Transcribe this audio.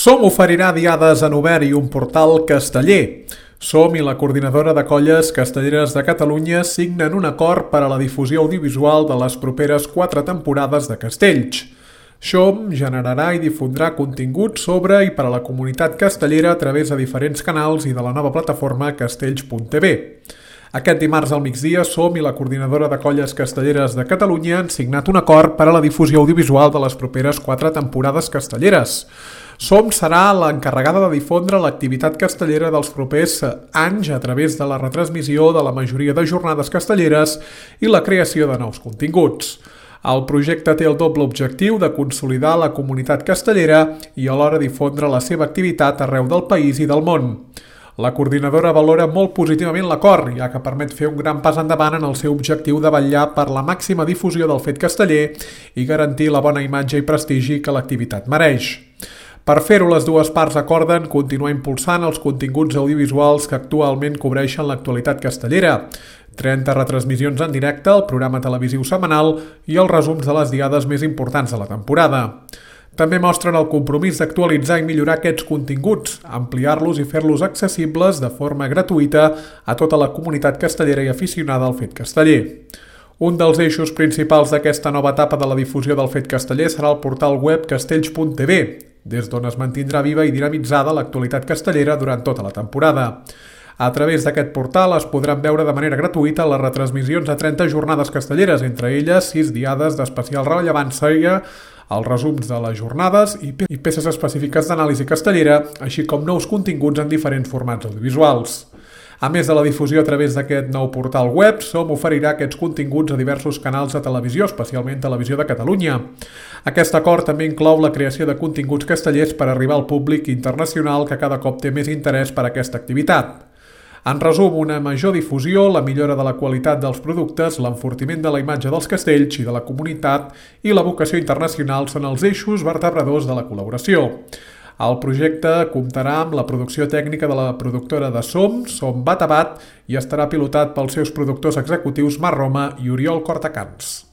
Som oferirà diades en obert i un portal casteller. Som i la Coordinadora de Colles Castelleres de Catalunya signen un acord per a la difusió audiovisual de les properes 4 temporades de Castells. Som generarà i difondrà contingut sobre i per a la comunitat castellera a través de diferents canals i de la nova plataforma castells.tv. Aquest dimarts al migdia, Som i la Coordinadora de Colles Castelleres de Catalunya han signat un acord per a la difusió audiovisual de les properes 4 temporades castelleres. Som serà l'encarregada de difondre l'activitat castellera dels propers anys a través de la retransmissió de la majoria de jornades castelleres i la creació de nous continguts. El projecte té el doble objectiu de consolidar la comunitat castellera i alhora difondre la seva activitat arreu del país i del món. La coordinadora valora molt positivament l'acord, ja que permet fer un gran pas endavant en el seu objectiu de vetllar per la màxima difusió del fet casteller i garantir la bona imatge i prestigi que l'activitat mereix. Per fer-ho, les dues parts acorden continuar impulsant els continguts audiovisuals que actualment cobreixen l'actualitat castellera, 30 retransmissions en directe, el programa televisiu setmanal i els resums de les diades més importants de la temporada. També mostren el compromís d'actualitzar i millorar aquests continguts, ampliar-los i fer-los accessibles de forma gratuïta a tota la comunitat castellera i aficionada al fet casteller. Un dels eixos principals d'aquesta nova etapa de la difusió del fet casteller serà el portal web castells.tv, des d'on es mantindrà viva i dinamitzada l'actualitat castellera durant tota la temporada. A través d'aquest portal es podran veure de manera gratuïta les retransmissions de 30 jornades castelleres, entre elles 6 diades d'especial rellevància, els resums de les jornades i peces específiques d'anàlisi castellera, així com nous continguts en diferents formats audiovisuals. A més de la difusió a través d'aquest nou portal web, Som oferirà aquests continguts a diversos canals de televisió, especialment Televisió de Catalunya. Aquest acord també inclou la creació de continguts castellers per arribar al públic internacional que cada cop té més interès per aquesta activitat. En resum, una major difusió, la millora de la qualitat dels productes, l'enfortiment de la imatge dels castells i de la comunitat i la vocació internacional són els eixos vertebradors de la col·laboració. El projecte comptarà amb la producció tècnica de la productora de Som Batabat, i estarà pilotat pels seus productors executius Marc Roma i Oriol Cortacans.